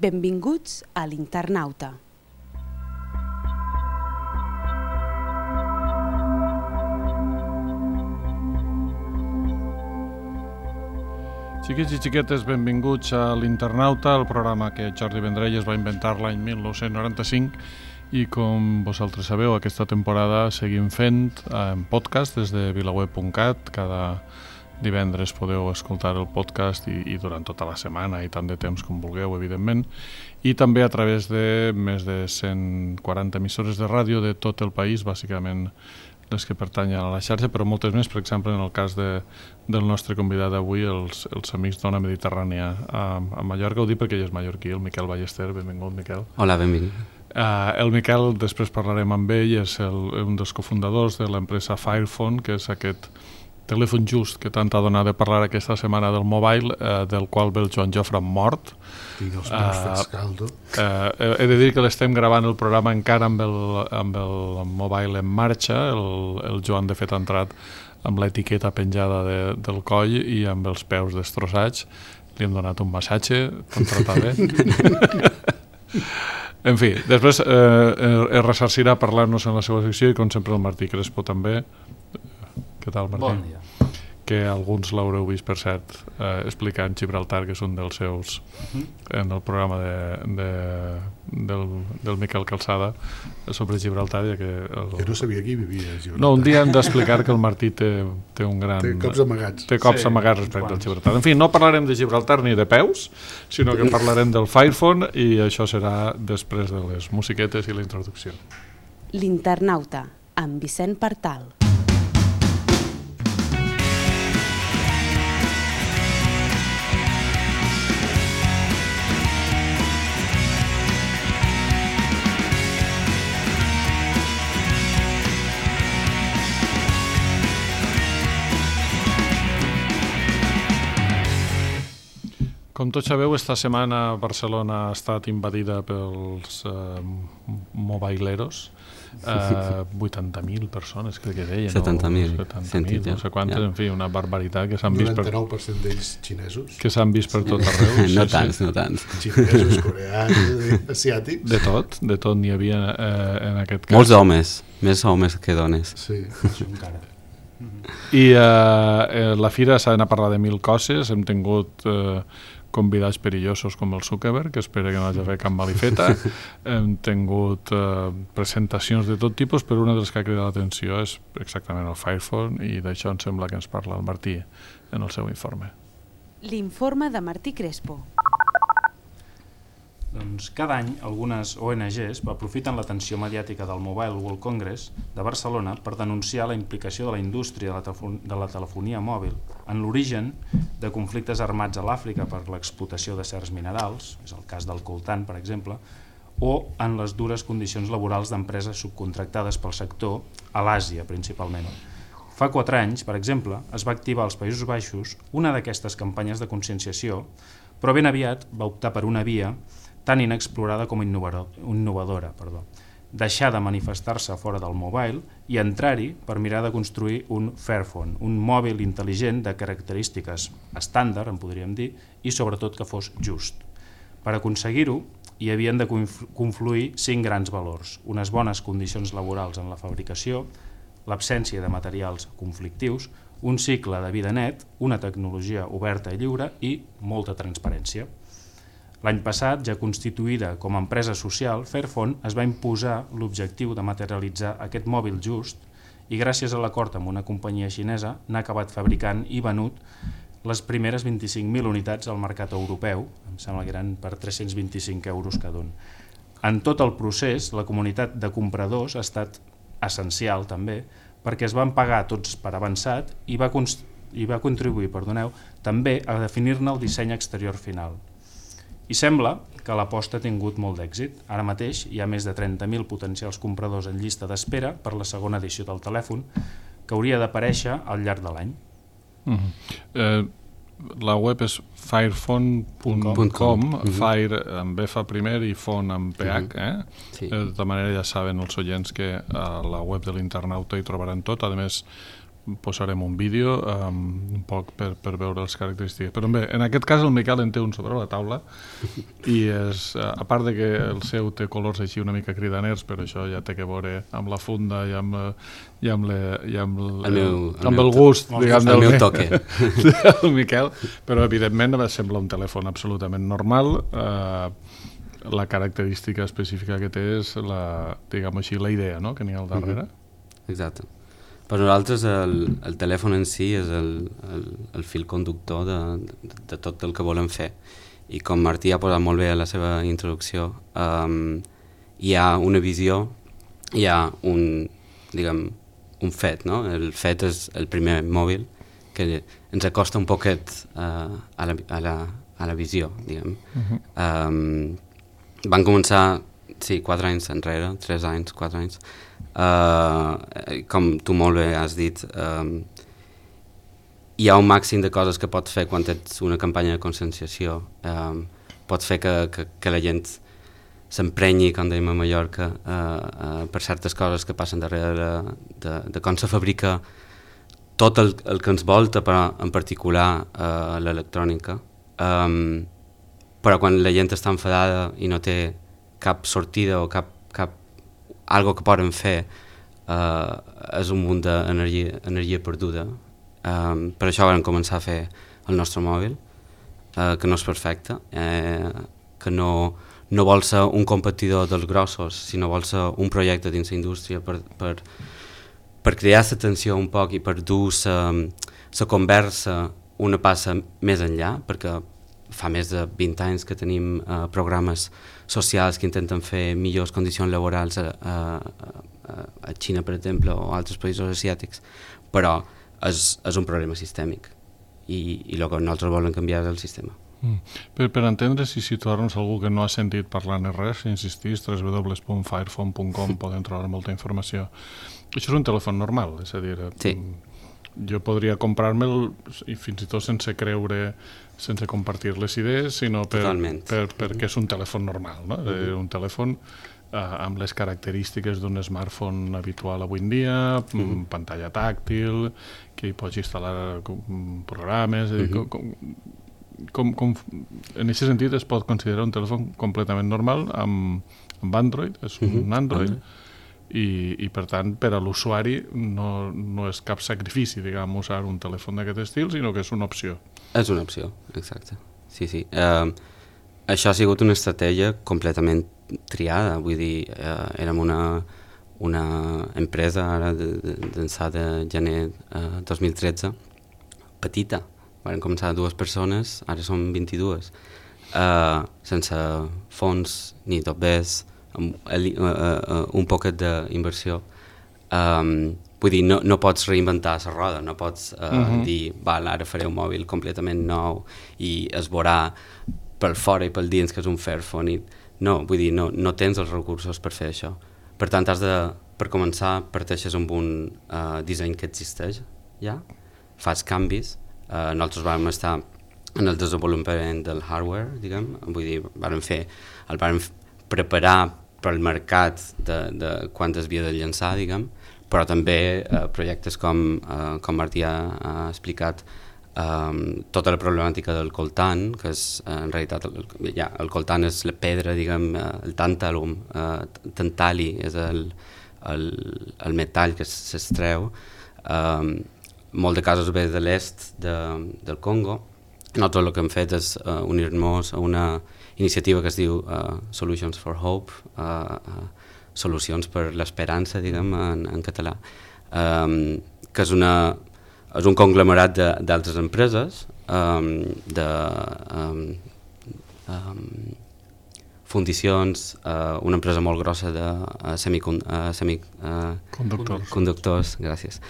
Benvinguts a l'Internauta. Xiquets i xiquetes, benvinguts a l'Internauta, el programa que Jordi Vendrell es va inventar l'any 1995 i com vosaltres sabeu, aquesta temporada seguim fent en podcast des de vilaweb.cat. Cada divendres podeu escoltar el podcast i durant tota la setmana i tant de temps com vulgueu, evidentment, i també a través de més de 140 emissores de ràdio de tot el país, bàsicament les que pertanyen a la xarxa, però moltes més, per exemple, en el cas del nostre convidat d'avui, els amics d'Ona Mediterrània a Mallorca. Ho dic perquè ell és mallorquí, el Miquel Ballester. Benvingut, Miquel. Hola, benvingut. El Miquel, després parlarem amb ell, és un dels cofundadors de l'empresa Firephone, que és aquest telèfon just que tant ha donat de parlar aquesta setmana del mobile, del qual ve el Joan Jofre mort. Tinc els meus fets caldo. He de dir que l'estem gravant el programa encara amb el mobile en marxa. El Joan, de fet, ha entrat amb l'etiqueta penjada del coll i amb els peus destrossats. Li hem donat un massatge, contratat bé. En fi, després es ressarcirà parlar-nos en la seva secció i, com sempre, el Martí Crespo també. Què tal, Martí? Bon dia. Que alguns l'haureu vist, per cert, explicant Gibraltar, que és un dels seus, en el programa del Miquel Calçada sobre Gibraltar. Jo no sabia qui vivia a Gibraltar. No, un dia hem d'explicar que el Martí té un gran... Té cops amagats. Té cops amagats respecte al Gibraltar. En fi, no parlarem de Gibraltar ni de peus, sinó que parlarem del Firephone, i això serà després de les musiquetes i la introducció. L'Internauta, amb Vicent Partal. Com tots sabeu, esta setmana Barcelona ha estat invadida pels mobileros. 80.000 persones, crec que deien. 70.000. 70.000, no sé quantes, en fi, una barbaritat que s'han vist 99% d'ells xinesos. Que s'han vist per tot arreu. No tants, no tants. Xinesos, coreans, asiàtics. De tot n'hi havia en aquest cas. Molts homes, més homes que dones. Sí. Encara. I la fira s'ha d'anar a parlar de 1.000 coses. Hem tingut convidats perillosos com el Zuckerberg, que espera que no hagi de fer cap malifeta. Hem tingut presentacions de tot tipus, però una de les que ha cridat l'atenció és exactament el Firephone, i d'això em sembla que ens parla el Martí en el seu informe. L'informe de Martí Crespo. Doncs cada any algunes ONGs aprofiten l'atenció mediàtica del Mobile World Congress de Barcelona per denunciar la implicació de la indústria de la telefonia mòbil en l'origen de conflictes armats a l'Àfrica per l'explotació de certs minerals, és el cas del coltan, per exemple, o en les dures condicions laborals d'empreses subcontractades pel sector a l'Àsia, principalment. Fa 4 anys, per exemple, es va activar als Països Baixos una d'aquestes campanyes de conscienciació, però ben aviat va optar per una via tan inexplorada com innovadora, deixar de manifestar-se fora del mobile i entrar-hi per mirar de construir un Fairphone, un mòbil intel·ligent de característiques estàndard, en podríem dir, i sobretot que fos just. Per aconseguir-ho, hi havien de confluir 5 grans valors: unes bones condicions laborals en la fabricació, l'absència de materials conflictius, un cicle de vida net, una tecnologia oberta i lliure i molta transparència. L'any passat, ja constituïda com a empresa social, Fairphone es va imposar l'objectiu de materialitzar aquest mòbil just i gràcies a l'acord amb una companyia xinesa n'ha acabat fabricant i venut les primeres 25.000 unitats al mercat europeu, em sembla que eren per 325 euros cada un. En tot el procés, la comunitat de compradors ha estat essencial també, perquè es van pagar tots per avançat i va contribuir, també a definir-ne el disseny exterior final. I sembla que l'aposta ha tingut molt d'èxit. Ara mateix hi ha més de 30.000 potencials compradors en llista d'espera per la segona edició del telèfon, que hauria d'aparèixer al llarg de l'any. La web és firephone.com, Fire amb F primer i phone amb PH. De tota manera ja saben els oients que a la web de l'Internauta hi trobaran tot. A més, posarem un vídeo un poc per veure les característiques. Però bé, en aquest cas el Miquel en té un sobre la taula i és, a part de que el seu té colors així una mica cridaners, però això ja té que veure amb la funda i amb el gust, diguem, el meu toque del Miquel, però evidentment sembla un telèfon absolutament normal. La característica específica que té és diguem així, la idea, no?, que n'hi ha al darrere. Exacte. Per nosaltres el telèfon en si és el fil conductor de tot el que volem fer, i com Martí ha posat molt bé a la seva introducció, hi ha una visió, hi ha un fet, no? El fet és el primer mòbil que ens acosta un poquet a la visió, diguem. Van començar 4 anys enrere, 3 anys, 4 anys. Com tu molt bé has dit, hi ha un màxim de coses que pots fer quan ets una campanya de conscienciació. Pots fer que la gent s'emprenyi, com dèiem a Mallorca, per certes coses que passen darrere de com se fabrica tot el que ens volta, però en particular l'electrònica. Però quan la gent està enfadada i no té cap sortida o cap algo que poden fer, és un munt d'energia perduda. Per això vam començar a fer el nostre mòbil, que no és perfecte, que no vol ser un competidor dels grossos, sinó vol ser un projecte dins la indústria per crear la tensió un poc i per dur la conversa una passa més enllà, perquè fa més de 20 anys que tenim programes socials que intenten fer millors condicions laborals a Xina, per exemple, o altres països asiàtics, però és un problema sistèmic i el que nosaltres volem canviar és el sistema. Per entendre si situar-nos algú que no ha sentit parlar ni res, si insistís, www.firephone.com poden trobar molta informació. Això és un telèfon normal, és a dir, sí. Jo podria comprar-me'l i fins i tot sense creure, sense compartir les idees, sinó perquè és un telèfon normal, no? Un telèfon amb les característiques d'un smartphone habitual avui en dia, pantalla tàctil, que hi pots instal·lar programes, en aquest sentit es pot considerar un telèfon completament normal amb Android, és un Android, i per tant per a l'usuari no és cap sacrifici, diguem, usar un telèfon d'aquest estil, sinó que és una opció. És una opció, exacte. Sí. Això ha sigut una estratègia completament triada, vull dir, érem una empresa ara d'ençà de gener 2013, petita, van començar 2 persones, ara som 22, sense fons ni topers, un poquet d'inversió. Vull dir, no pots reinventar la roda, no pots dir, ara faré un mòbil completament nou i es veurà pel fora i pel dins que és un Fairphone. No, vull dir, no tens els recursos per fer això. Per tant, per començar, parteixes amb un disseny que existeix ja, fas canvis. Nosaltres vam estar en el desenvolupament del hardware, diguem, vull dir, el vam preparar pel mercat de quan es havia de llançar, diguem, però també projectes com Martí ha explicat, tota la problemàtica del coltan, que és en realitat el coltan és la pedra, diguem, el tàntalum, tantali és el metall que s'extreu, molt de casos ve de l'est del Congo. Nosaltres el que hem fet és unir-nos a una iniciativa que es diu Solutions for Hope, solucions per l'esperança, diguem, en català, que és un conglomerat d'altres empreses, de fundicions, una empresa molt grossa de semiconductors, gràcies,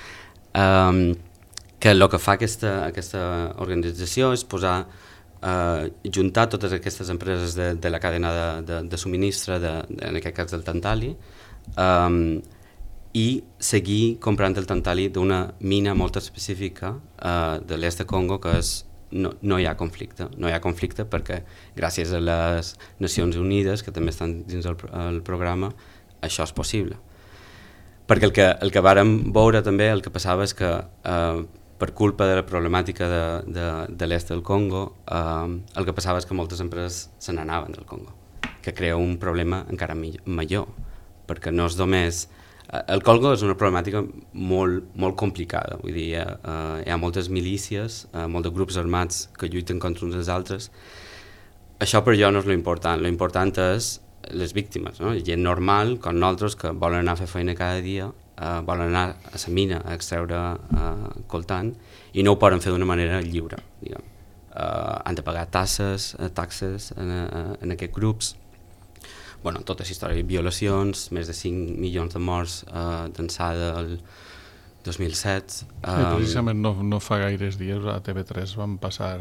que el que fa aquesta organització és juntar totes aquestes empreses de la cadena de subministre, en aquest cas del tantali, i seguir comprant el tantali d'una mina molt específica de l'est de Congo, que no hi ha conflicte. No hi ha conflicte perquè gràcies a les Nacions Unides, que també estan dins el programa, això és possible. perquè el que vàrem veure també, el que passava és que per culpa de la problemàtica de l'est del Congo, el que passava és que moltes empreses se n'anaven del Congo, que crea un problema encara millor, perquè no és només... El Congo és una problemàtica molt, molt complicada, vull dir, hi ha moltes milícies, molts grups armats que lluiten contra uns dels altres. Això per jo no és l'important és les víctimes, no? Gent normal, com nosaltres, que volen anar a fer feina cada dia, volen anar a la mina a extreure coltan i no ho poden fer d'una manera lliure, diguem. Han de pagar taxes en aquests grups. Bueno, tota la història, violacions, més de 5 milions de morts d'ençà del 2007. Precisament no fa gaires dies a TV3 van passar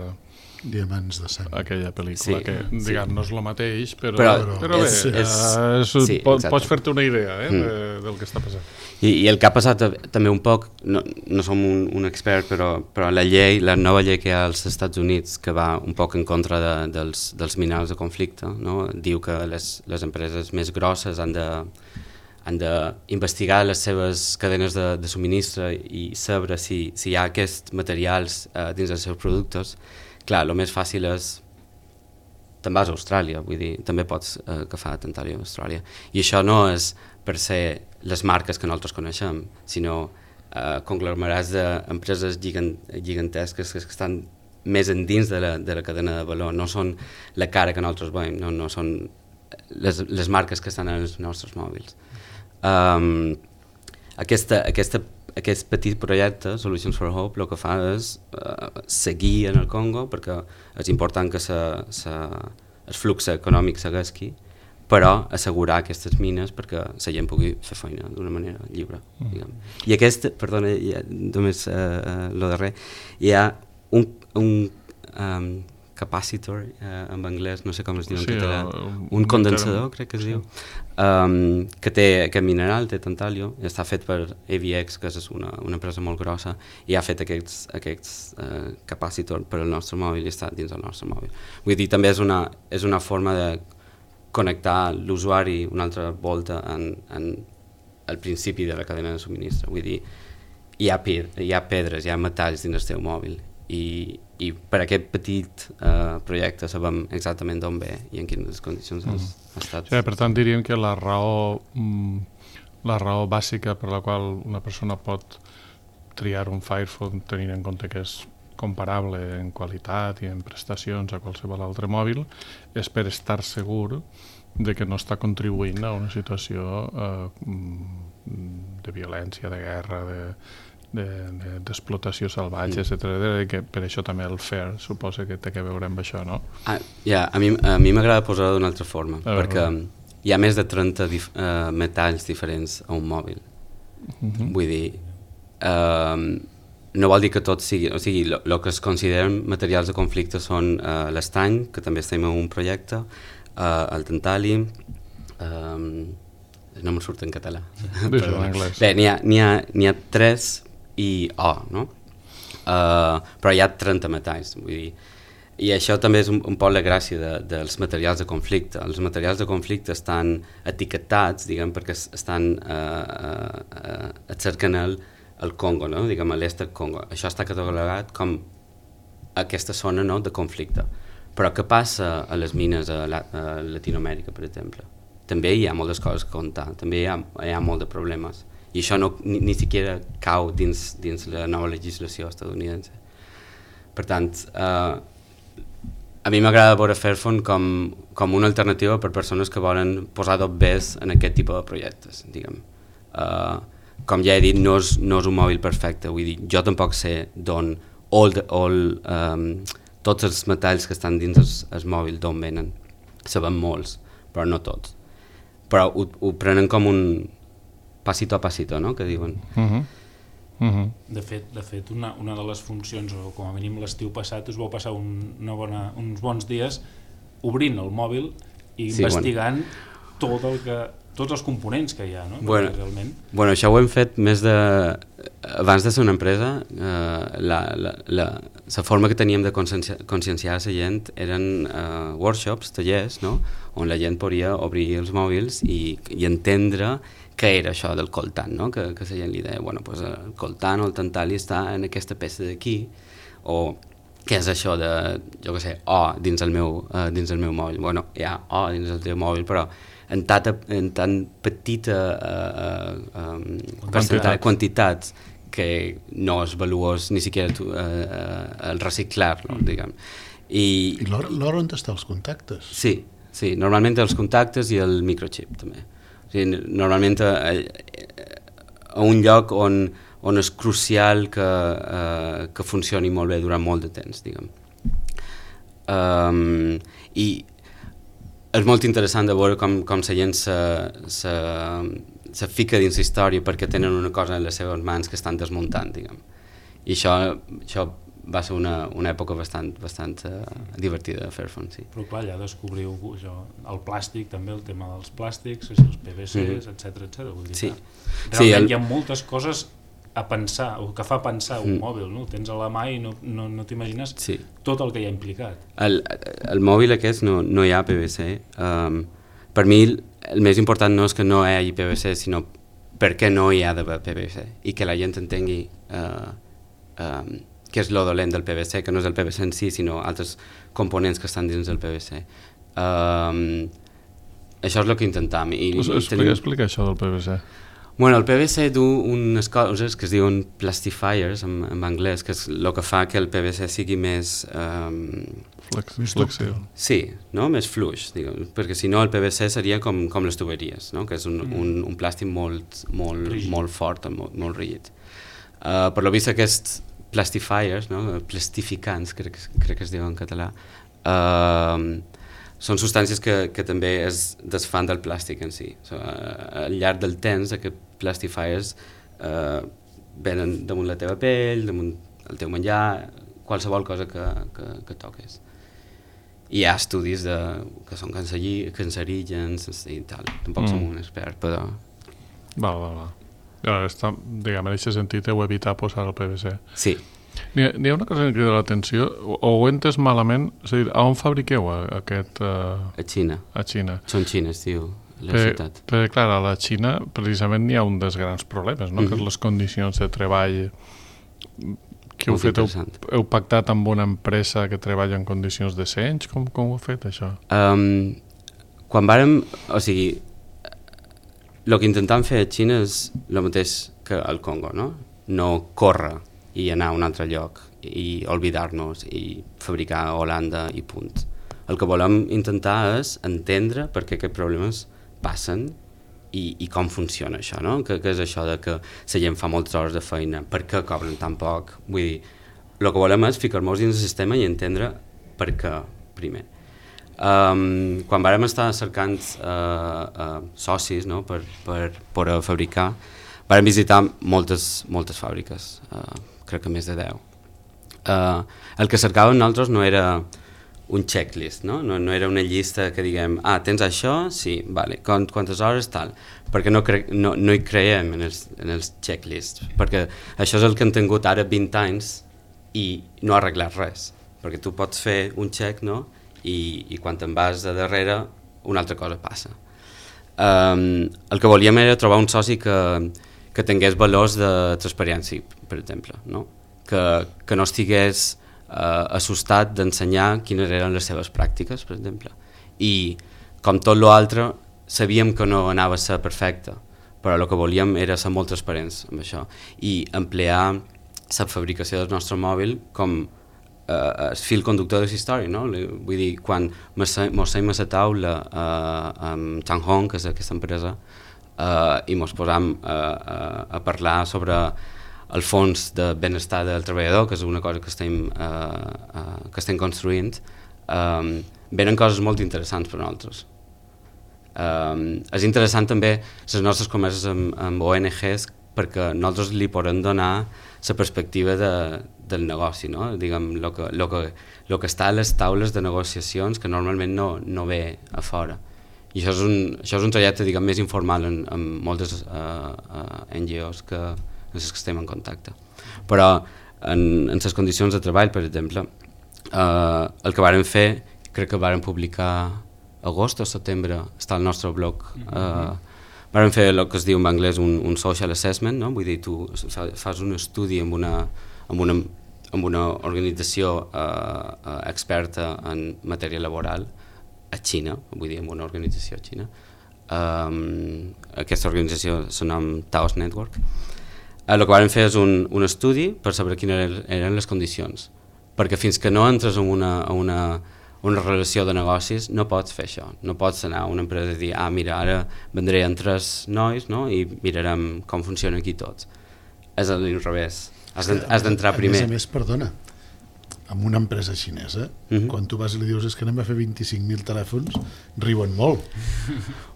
Diamants de sang. aquella pel·lícula, que diguem, no és el mateix, però bé, pots fer-te una idea del que està passant. I el que ha passat també un poc, no som un expert, però la nova llei que hi ha als Estats Units, que va un poc en contra dels minerals de conflicte, no? Diu que les empreses més grosses han d'investigar les seves cadenes de subministre i saber si hi ha aquests materials dins dels seus productes. Clar, el més fàcil és te'n vas a Austràlia, vull dir, també pots agafar Tantalio a Austràlia. I això no és per ser les marques que nosaltres coneixem, sinó conglomerats d'empreses gigantesques que estan més endins de la cadena de valor, no són la cara que nosaltres veiem, no són les marques que estan en els nostres mòbils. Aquest petit projecte, Solutions for Hope, el que fa és seguir en el Congo, perquè és important que el flux econòmic segueixi, però assegurar aquestes mines perquè la gent pugui fer feina d'una manera lliure. Diguem. I perdona, només el darrer, hi ha un capacitor en anglès, no sé com es diu en català, un condensador crec que es diu, que té aquest mineral, té tantalio, i està fet per AVX, que és una empresa molt grossa, i ha fet aquests capacitor per al nostre mòbil i està dins del nostre mòbil. Vull dir, també és una forma de connectar l'usuari una altra volta al principi de la cadena de subministre. Vull dir, hi ha pedres, hi ha metalls dins el teu mòbil, i per aquest petit projecte sabem exactament d'on ve i en quines condicions ha estat. Sí, per tant, diríem que la raó bàsica per la qual una persona pot triar un Firephone tenint en compte que és comparable en qualitat i en prestacions a qualsevol altre mòbil és per estar segur de que no està contribuint a una situació de violència, de guerra, d'explotació salvatge, etc. Que per això també el FAIR suposa que té que veure amb això, no? A mi m'agrada posar-ho d'una altra forma, perquè hi ha més de 30 metalls diferents a un mòbil. Vull dir, no vol dir que tot sigui... O sigui, el que es consideren materials de conflicte són l'estany, que també estem en un projecte, el tantali, no me'n surt en català. Bé, n'hi ha 3 i O, no? Però hi ha 30 metalls, vull dir. I això també és un poc la gràcia dels materials de conflicte. Els materials de conflicte estan etiquetats, diguem, perquè estan cercant el Congo, no? Diguem, a l'est del Congo. Això està catalogat com aquesta zona, no?, de conflicte. Però què passa a les mines a Latinoamèrica, per exemple? També hi ha moltes coses a comptar, també hi ha molt de problemes. I això ni siquiera cau dins la nova legislació estadounidense. Per tant, a mi m'agrada veure Fairphone com una alternativa per persones que volen posar dobbers en aquest tipus de projectes, diguem. Com ja he dit, no és un mòbil perfecte, vull dir, jo tampoc sé d'on tots els metalls que estan dins el mòbil d'on venen. Sabem molts, però no tots. Però ho prenen com un passito a passito, no?, que diuen. De fet, una de les funcions, o com a mínim l'estiu passat, us vau passar uns bons dies obrint el mòbil i investigant tots els components que hi ha, no? Bueno, això ho hem fet abans de ser una empresa, la forma que teníem de conscienciar la gent eren workshops, tallers, no?, on la gent podia obrir els mòbils i entendre què era això del coltan, no? Que la gent li deia, bueno, pues el coltan o el tantali està en aquesta peça d'aquí, o què és això de, jo què sé, O dins el meu mòbil. Bueno, hi ha O dins el teu mòbil, però en tan petita quantitats que no és valuós ni siquiera el reciclar-lo, diguem. I l'hora on està els contactes? Sí, normalment els contactes i el microchip també. O sigui, normalment a un lloc on és crucial que funcioni molt bé durant molt de temps, diguem. I és molt interessant de veure com la gent se fica dins la història perquè tenen una cosa en les seves mans que estan desmuntant, diguem. I això va ser una època bastant divertida de Fairphone, sí. Però clar, ja descobriu el plàstic, també el tema dels plàstics, els PVCs, etc. Vull dir, sí. Realment hi ha moltes coses a pensar, o que fa pensar un mòbil, no? El tens a la mà i no t'imagines tot el que hi ha implicat. El mòbil aquest no hi ha PVC. Per mi el més important no és que no hi hagi PVC, sinó per què no hi ha d'haver PVC i que la gent entengui què és lo dolent del PVC, que no és el PVC en si, sinó altres components que estan dins del PVC. Això és el que intentam. Explica això del PVC. Bueno, el PVC du unes coses que es diuen plastifiers en anglès, que és el que fa que el PVC sigui més... flexiu. Sí, no? Més fluix, diguem, perquè si no el PVC seria com les tuberies, no? Que és un plàstic molt fort, molt rígid. Per lo vist aquests plastifiers, no? Plastificants, crec que es diu en català, són substàncies que també es desfan del plàstic en si. Al llarg del temps, aquests plastifiers venen damunt la teva pell, damunt el teu menjar, qualsevol cosa que toques. I hi ha estudis que són cancerígens i tal. Tampoc som un expert, però... Va. Diguem, en aquest sentit heu evitat posar el PVC. Sí. N'hi ha una cosa que crida l'atenció, o ho he entès malament, és a dir, on fabriqueu aquest... A Xina. A Xina. Són xines, diu, la ciutat. Perquè, clar, a la Xina precisament hi ha un dels grans problemes, no? Que és les condicions de treball que heu fet. Heu pactat amb una empresa que treballa en condicions decents? Com ho heu fet, això? Quan vàrem... O sigui, el que intentam fer a Xina és el mateix que al Congo, no? No córrer i anar a un altre lloc i oblidar-nos i fabricar a Holanda i punt. El que volem intentar és entendre per què aquests problemes passen i com funciona això, no? Que és això de que la gent fa moltes hores de feina, per què cobren tan poc? Vull dir, el que volem és ficar-nos dins el sistema i entendre per què, primer. Quan vàrem estar cercant socis, no? per fabricar, vàrem visitar moltes fàbriques, crec que més de 10. El que cercàvem nosaltres no era un checklist, no era una llista que diguem, tens això? Sí, vale. Quantes hores? Tal. Perquè no hi creiem en els checklists, perquè això és el que han tingut ara 20 anys i no ha arreglat res, perquè tu pots fer un check, no? I quan te'n vas de darrere una altra cosa passa. El que volíem era trobar un soci que tingués valors de transparència, per exemple, no? Que no estigués assustat d'ensenyar quines eren les seves pràctiques, per exemple. I com tot l'altre, sabíem que no anava a ser perfecte, però el que volíem era ser molt transparents amb això i emplear la fabricació del nostre mòbil com el fil conductor de la història, no? Vull dir, quan mos seiem a la taula amb Changhong, que és aquesta empresa, i mos posam a parlar sobre el fons de benestar del treballador, que és una cosa que estem construint, venen coses molt interessants per a nosaltres. És interessant també les nostres converses amb ONGs perquè nosaltres li podem donar la perspectiva del negoci, no? Diguem, el que està a les taules de negociacions que normalment no ve a fora. I això és un trajecte, diguem, més informal en moltes NGOs que estem en contacte. Però en les condicions de treball, per exemple, el que vàrem fer, crec que vàrem publicar agost o setembre, està al nostre blog, Vam fer el que es diu en anglès un social assessment, no? Vull dir, tu fas un estudi amb una organització experta en matèria laboral a Xina, vull dir, amb una organització a Xina. Aquesta organització se nom Taos Network. El que vam fer és un estudi per saber quines eren les condicions, perquè fins que no entres en una relació de negocis no pots fer això, no pots anar a una empresa i dir mira, ara vendré amb 3 nois, no? I mirarem com funciona aquí tots. És a l'inrevés, has d'entrar primer. A més, perdona, amb una empresa xinesa, quan tu vas i li dius és que anem a fer 25.000 telèfons, riuen molt.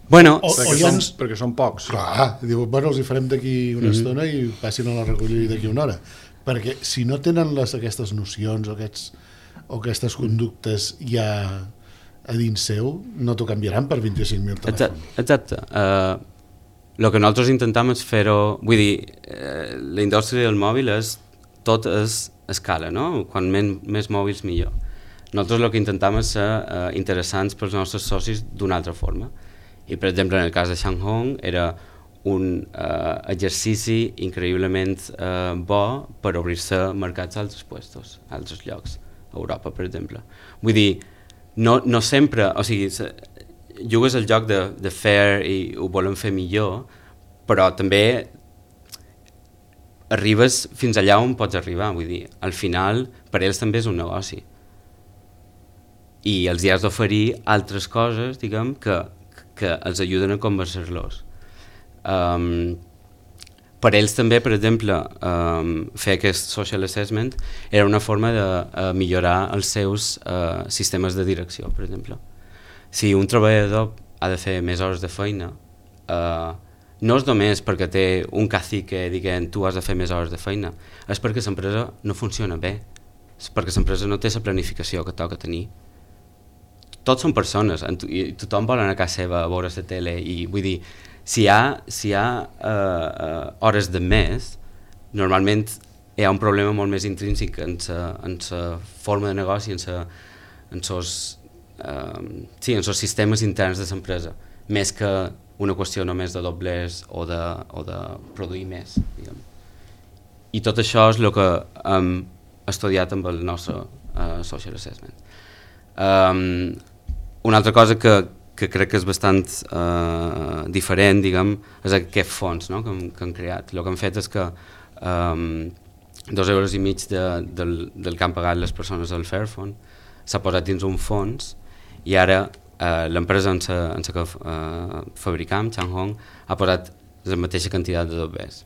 Bueno, perquè són pocs. Clar, diu, bueno, els hi farem d'aquí una estona i passin a la recollida d'aquí una hora. Perquè si no tenen aquestes nocions o aquestes conductes ja a dins seu, no t'ho canviaran per 25.000 telèfons. Exacte. El que nosaltres intentem és fer-ho... Vull dir, la indústria del mòbil tot és escala, no? Quan més mòbils millor. Nosaltres el que intentem és ser interessants pels nostres socis d'una altra forma. I, per exemple, en el cas de Shanghong era un exercici increïblement bo per obrir-se mercats a altres puestos, a altres llocs, a Europa, per exemple. Vull dir, no sempre, o sigui, jugues el joc de fer i ho volen fer millor, però també arribes fins allà on pots arribar, vull dir, al final per ells també és un negoci. I els hi has d'oferir altres coses, diguem, que els ajuden a convencer-los. Per ells també, per exemple, fer aquest social assessment era una forma de millorar els seus sistemes de direcció, per exemple. Si un treballador ha de fer més hores de feina, no és només perquè té un cacique dient tu has de fer més hores de feina, és perquè l'empresa no funciona bé, és perquè l'empresa no té la planificació que toca tenir. Tots són persones i tothom vol anar a casa seva a veure la tele i vull dir, si hi ha hores de més, normalment hi ha un problema molt més intrínsec en la forma de negoci, en els sistemes interns de l'empresa, més que una qüestió només de doblers o de produir més, diguem. I tot això és el que hem estudiat amb el nostre social assessment. Una altra cosa que crec que és bastant diferent, diguem, és aquest fons, no? que han creat. El que han fet és que 2,5 euros del que han pagat les persones del Fairphone s'ha posat dins un fons i ara l'empresa en la que fabricam, Changhong, ha posat la mateixa quantitat de dobbers.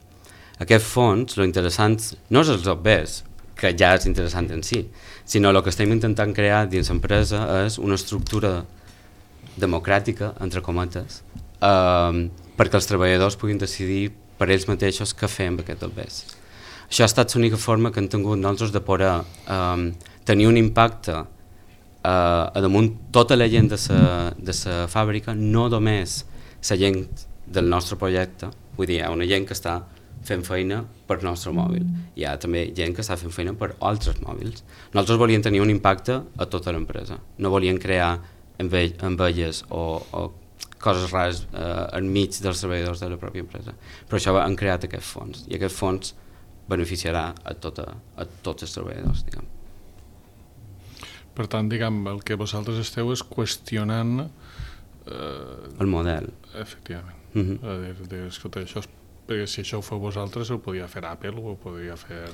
Aquest fons, lo interessant no és els dobbers, que ja és interessant en si, sinó el que estem intentant crear dins l'empresa és una estructura democràtica, entre cometes, perquè els treballadors puguin decidir per ells mateixos què fer amb aquests dobbers. Això ha estat l'única forma que hem tingut nosaltres de poder tenir un impacte a damunt tota la gent de la fàbrica, no només la gent del nostre projecte, vull dir, hi ha una gent que està fent feina per nostre mòbil, hi ha també gent que està fent feina per altres mòbils. Nosaltres volíem tenir un impacte a tota l'empresa, no volíem crear envelles o coses rares enmig dels treballadors de la pròpia empresa, però això han creat aquest fons i aquest fons beneficiarà a tots els treballadors, diguem. Per tant, diguem, el que vosaltres esteu és qüestionant el model. Efectivament. Escolta, això perquè si això ho feu vosaltres ho podia fer Apple o ho podria fer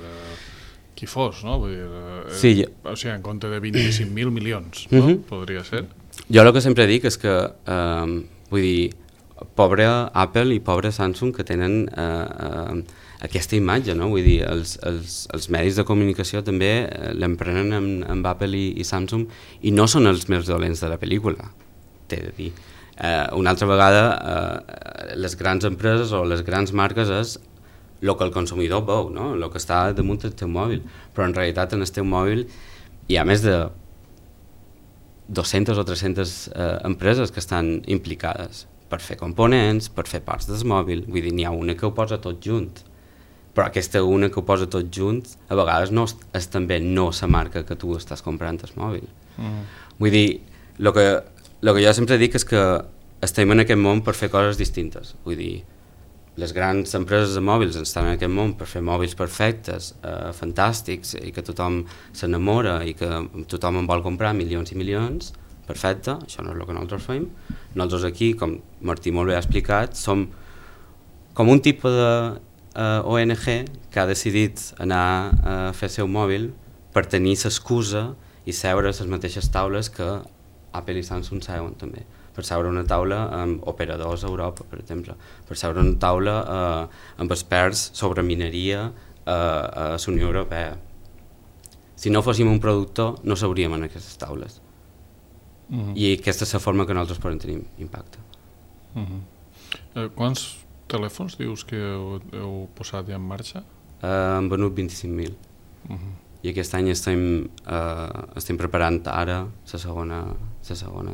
qui fos, no? Vull dir, sí, o sigui, en compte de 25.000 milions, no? Podria ser. Jo el que sempre dic és que, vull dir, pobre Apple i pobre Samsung que tenen aquesta imatge, no? Vull dir, els medis de comunicació també l'emprenen amb Apple i Samsung i no són els més dolents de la pel·lícula, t'he de dir. Una altra vegada les grans empreses o les grans marques és el que el consumidor veu, no? El que està damunt del teu mòbil, però en realitat en el teu mòbil hi ha més de 200 o 300 empreses que estan implicades per fer components, per fer parts del mòbil, vull dir, n'hi ha una que ho posa tot junt, però aquesta una que ho posa tot junt a vegades no és també no la marca que tu estàs comprant el mòbil. Vull dir, el que jo sempre dic és que estem en aquest món per fer coses distintes. Vull dir, les grans empreses de mòbils estan en aquest món per fer mòbils perfectes, fantàstics, i que tothom s'enamora i que tothom en vol comprar milions i milions. Perfecte, això no és el que nosaltres fem. Nosaltres aquí, com Martí molt bé ha explicat, som com un tipus de ONG que ha decidit anar a fer el seu mòbil per tenir l'excusa i seure a les mateixes taules que Apple i Samsung seuen també. Per seure una taula amb operadors a Europa, per exemple. Per seure una taula amb experts sobre mineria a la Unió Europea. Si no fóssim un productor, no seuríem en aquestes taules. I aquesta és la forma que nosaltres podem tenir impacte. Quants telèfons dius que heu posat ja en marxa? Hem venut 25.000. I aquest any estem preparant ara la segona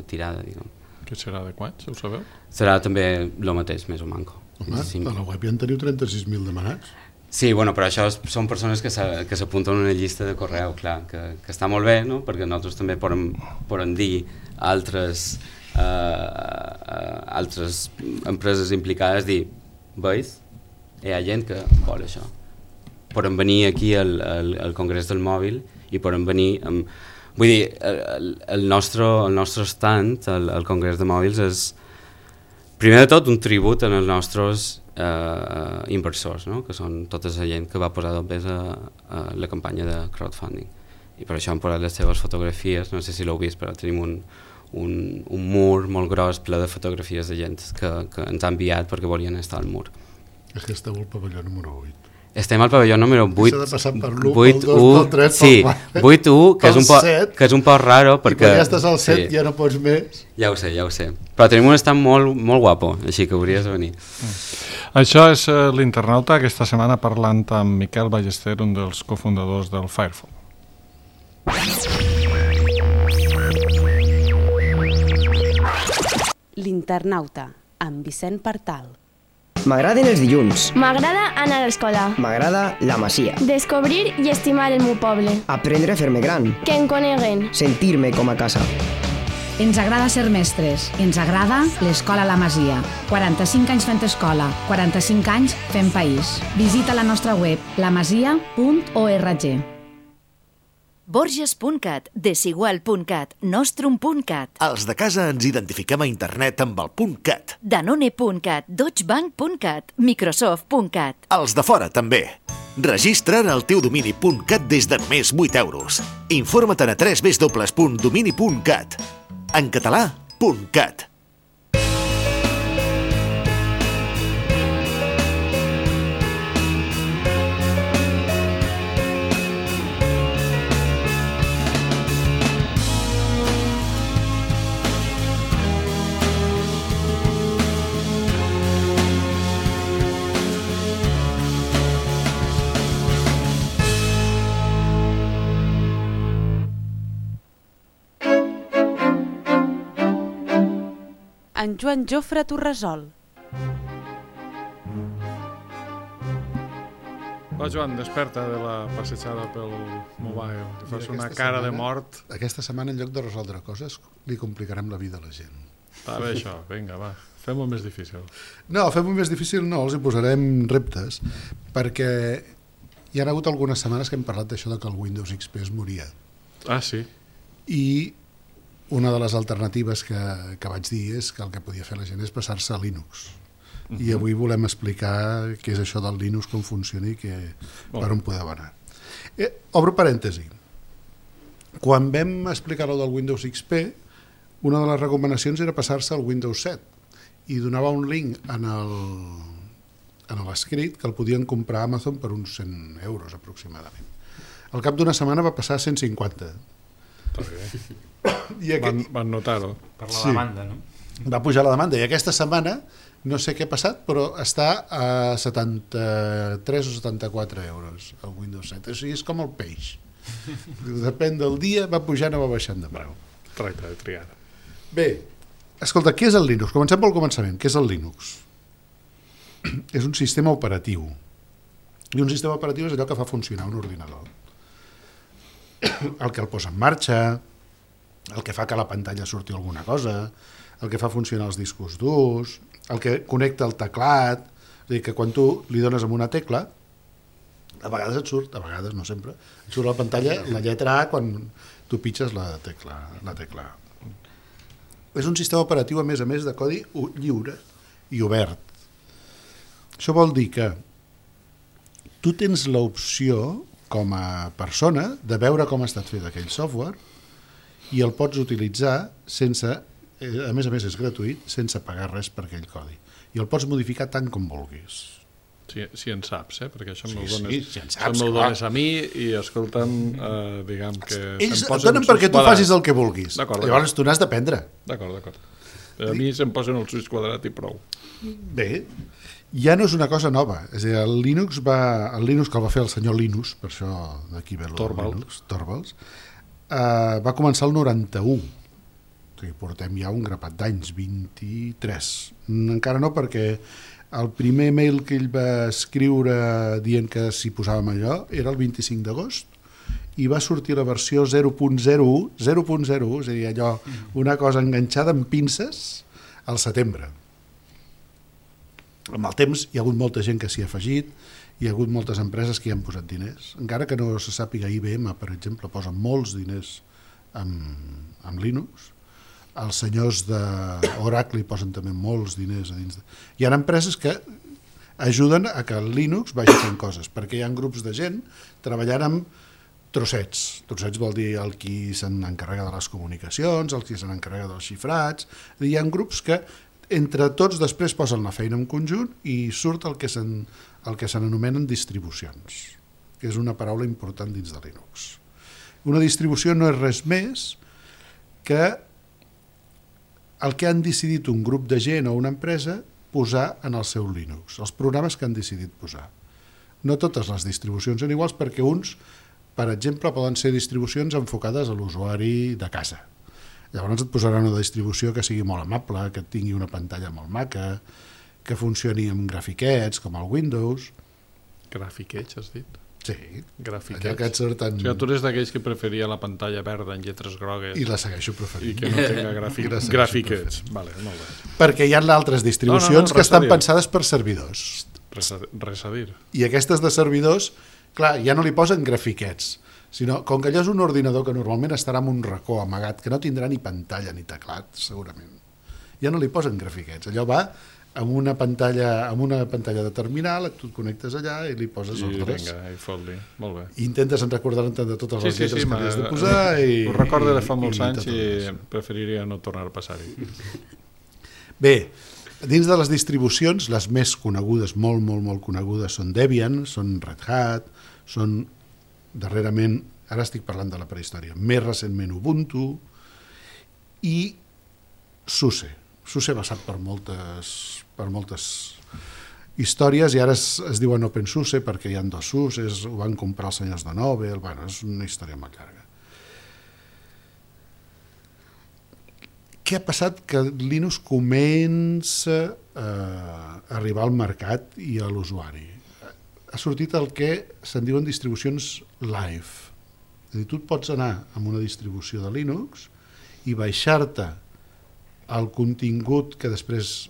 tirada, diguem. Que serà de quants, ho sabeu? Serà també el mateix, més o manco. Home, a la web ja en teniu 36.000 demanats. Sí, bueno, però això són persones que s'apunten a una llista de correu, clar, que està molt bé, no? Perquè nosaltres també podem dir altres empreses implicades, dir, veus, hi ha gent que vol això. Podem venir aquí al Congrés del Mòbil i podem venir amb... Vull dir, el nostre stand al Congrés de Mòbils és, primer de tot, un tribut en els nostres inversors, no? Que són tota la gent que va posar dos pes a la campanya de crowdfunding. I per això hem posat les seves fotografies, no sé si l'heu vist, però tenim un mur molt gros ple de fotografies de gent que ens ha enviat perquè volien estar al mur. És que esteu al pavelló número 8. Estem al pavelló número 8. S'ha de passar per l'1, pel 2, pel 3, sí, pel 4. 8-1, que és un poc raro perquè... I quan ja estàs al 7 ja no pots més. Ja ho sé. Però tenim un stand molt, molt guapo, així que hauries de venir. Això és l'Internauta, aquesta setmana parlant amb Miquel Ballester, un dels cofundadors del Firephone. L'Internauta, amb Vicent Partal. M'agraden els dilluns. M'agrada anar a l'escola. M'agrada la Masia. Descobrir i estimar el meu poble. Aprendre a fer-me gran. Que em coneguen. Sentir-me com a casa. Ens agrada ser mestres. Ens agrada l'Escola La Masia. 45 anys fent escola, 45 anys fent país. Visita la nostra web, lamasia.org. Borges.cat, Desigual.cat, Nostrum.cat. Els de casa ens identifiquem a internet amb el .cat. Danone.cat, Deutschebank.cat, Microsoft.cat. Els de fora també. Registra't al teu domini .cat des de només 8 euros. Informa't a www.domini.cat. En català, .cat. En Joan Jofre Torresol. Va, Joan, desperta de la passejada pel mobile, que fas una cara de mort. Aquesta setmana, en lloc de resoldre coses, li complicarem la vida a la gent. Està bé això, vinga, va, fem-ho més difícil. No, fem-ho més difícil no, els hi posarem reptes, perquè hi ha hagut algunes setmanes que hem parlat d'això de que el Windows XP es moria. Ah, sí? I una de les alternatives que vaig dir és que el que podia fer la gent és passar-se a Linux. I avui volem explicar què és això del Linux, com funciona i per on podeu anar. Obro parèntesi. Quan vam explicar el del Windows XP, una de les recomanacions era passar-se al Windows 7 i donava un link en l'escrit que el podien comprar a Amazon per uns 100 euros aproximadament. Al cap d'una setmana va passar a 150. Van notar-ho. Per la demanda, no? Va pujar la demanda i aquesta setmana no sé què ha passat, però està a 73 o 74 euros el Windows 7. O sigui, és com el peix. Depèn del dia, va pujant o va baixant de preu. Tracta de triar. Bé, escolta, què és el Linux? Comencem pel començament. Què és el Linux? És un sistema operatiu. I un sistema operatiu és allò que fa funcionar un ordinador. El que el posa en marxa, el que fa que a la pantalla surti alguna cosa, el que fa funcionar els discos durs, el que connecta el teclat, és a dir, que quan tu li dones amb una tecla, a vegades et surt, a vegades, no sempre, et surt a la pantalla la lletra A quan tu pitges la tecla A. És un sistema operatiu, a més, de codi lliure i obert. Això vol dir que tu tens l'opció, com a persona, de veure com ha estat fet aquell software i el pots utilitzar sense, a més és gratuït, sense pagar res per aquell codi. I el pots modificar tant com vulguis. Si en saps, perquè això me'l saps, dones a mi i, escolta'm, diguem que... Ells et donen perquè tu facis el que vulguis. Llavors tu n'has d'aprendre. D'acord. A mi se'm posen el suïs quadrat i prou. Bé, ja no és una cosa nova. És a dir, el Linux que el va fer el senyor Linus, per això d'aquí ve el Linux, Torvalds, va començar el 91. O sigui, portem ja un grapat d'anys, 23. Encara no, perquè el primer mail que ell va escriure dient que s'hi posàvem allò era el 25 d'agost i va sortir la versió 0.01, és a dir, allò, una cosa enganxada amb pinces al setembre. Amb el temps hi ha hagut molta gent que s'hi ha afegit, hi ha hagut moltes empreses que hi han posat diners, encara que no se sàpiga, IBM, per exemple, posa molts diners amb Linux. Els senyors d'Oracle hi posen també molts diners a dins. Hi ha empreses que ajuden a que el Linux vagi fent coses, perquè hi ha grups de gent treballant amb trossets. Trossets vol dir el qui se n'encarrega de les comunicacions, el qui se n'encarrega dels xifrats. Hi ha grups que entre tots després posen la feina en conjunt i surt el que se n'anomenen distribucions, que és una paraula important dins de Linux. Una distribució no és res més que el que han decidit un grup de gent o una empresa posar en el seu Linux, els programes que han decidit posar. No totes les distribucions són iguals perquè uns, per exemple, poden ser distribucions enfocades a l'usuari de casa. Llavors et posaran una distribució que sigui molt amable, que tingui una pantalla molt maca, que funcioni amb grafiquets, com el Windows. Grafiquets, has dit? Sí, grafiquets. Allò que et surten... O sigui, tu eres d'aquells que preferia la pantalla verda en lletres grogues. I la segueixo preferint. I que no tenga grafiquets. Vale, molt bé. Perquè hi ha altres distribucions que estan pensades per servidors. Res a dir. I aquestes de servidors, clar, ja no li posen grafiquets, sinó, com que allò és un ordinador que normalment estarà en un racó amagat, que no tindrà ni pantalla ni teclat, segurament, ja no li posen grafiquets. Allò va amb una pantalla de terminal, tu et connectes allà i li poses ordres. I vinga, i fot-li. Molt bé. I intentes recordar-te de totes les lletres que li has de posar. Ho recordo de fa molts anys i preferiria no tornar a passar-hi. Bé, dins de les distribucions, les més conegudes, molt conegudes, són Debian, són Red Hat, són darrerament, ara estic parlant de la prehistòria, més recentment Ubuntu i SUSE. SUSE ha passat per moltes històries i ara es diuen OpenSUSE perquè hi ha dos SUSEs, ho van comprar els senyors de Nobel, bueno, és una història molt llarga. Què ha passat? Que Linux comença a arribar al mercat i a l'usuari. Ha sortit el que se'n diuen distribucions live. És a dir, tu et pots anar amb una distribució de Linux i baixar-te el contingut que després